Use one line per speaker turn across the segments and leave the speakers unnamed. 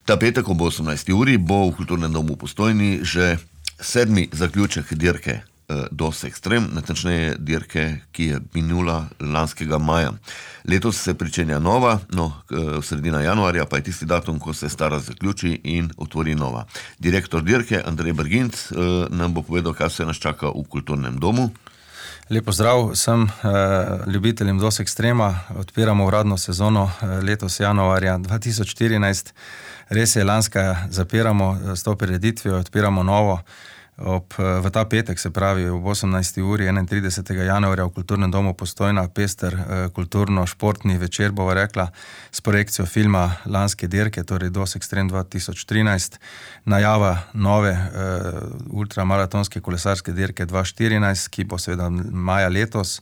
Ta petek ob 18. uri bo v Kulturnem domu v Postojni že 7. zaključek dirke DOS Extreme, natančneje dirke, ki je minula lanskega maja. Letos se pričenja nova, sredina januarja pa je tisti datum, ko se stara zaključi in otvori nova. Direktor dirke Andrej Berginc nam bo povedal, kaj se nas čaka v Kulturnem domu.
Lepo zdrav vsem ljubiteljem DOS Extrema. Odpiramo uradno sezono letos januarja 2014. Res je, lanska zapiramo s to prireditvijo, odpiramo novo. V ta petek, se pravi ob 18. uri 31. januarja v Kulturnem domu Postojna, pester kulturno-športni večer, bova rekla, s projekcijo filma lanske dirke, torej DOS Extreme 2013, najava nove ultramaratonske kolesarske dirke 2014, ki bo seveda maja letos,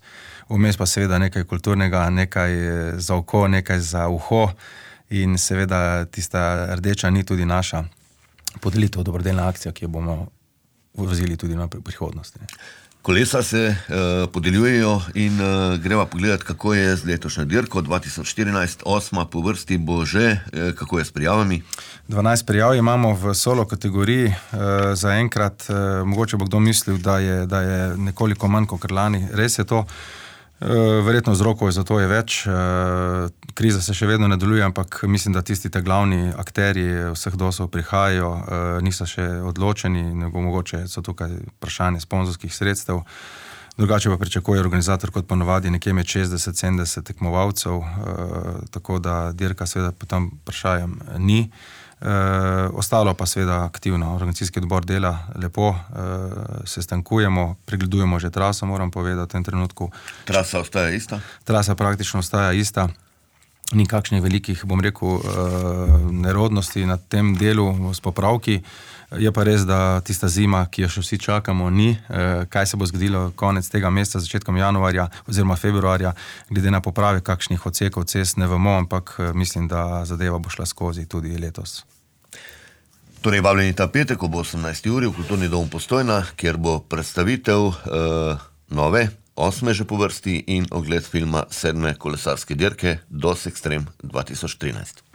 vmes pa seveda nekaj kulturnega, nekaj za oko, nekaj za uho in seveda tista rdeča ni tudi naša podelitev, dobrodelna akcija, ki jo bomo vozili tudi na prihodnosti.
Kolesa se podeljujejo in greva pogledati, kako je z letošnjo dirko 2014, 8. po vrsti bo že, kako je s prijavami?
12 prijav imamo v solo kategoriji, zaenkrat, mogoče bo kdo mislil, da je nekoliko manj kot lani, res je to. Verjetno vzrokov za to je več, kriza se še vedno nadaljuje, ampak mislim, da tisti te glavni akterji vseh DOS-ov prihajajo, niso še odločeni, mogoče so tukaj vprašanje sponzorskih sredstev, drugače pa pričakuje organizator kot ponovadi nekje med 60-70 tekmovalcev, tako da dirka seveda po tem vprašanjem ni. Ostalo pa seveda aktivno, organizacijski odbor dela lepo, se stankujemo, pregledujemo že traso, moram povedati v tem trenutku.
Trasa ostaja ista?
Trasa praktično ostaja ista, ni kakšnih velikih, bom rekel, nerodnosti na tem delu s popravki. Je pa res, da tista zima, ki jo še vsi čakamo, ni. Kaj se bo zgodilo konec tega meseca, začetkom januarja oziroma februarja, glede na poprave kakšnih odsekov cest, ne vemo, ampak mislim, da zadeva bo šla skozi tudi letos.
Torej, vabljeni ta petek ob 18. uri v Kulturni dom Postojna, kjer bo predstavitev nove, 8. že po vrsti in ogled filma 7. kolesarske dirke DOS Extreme 2013.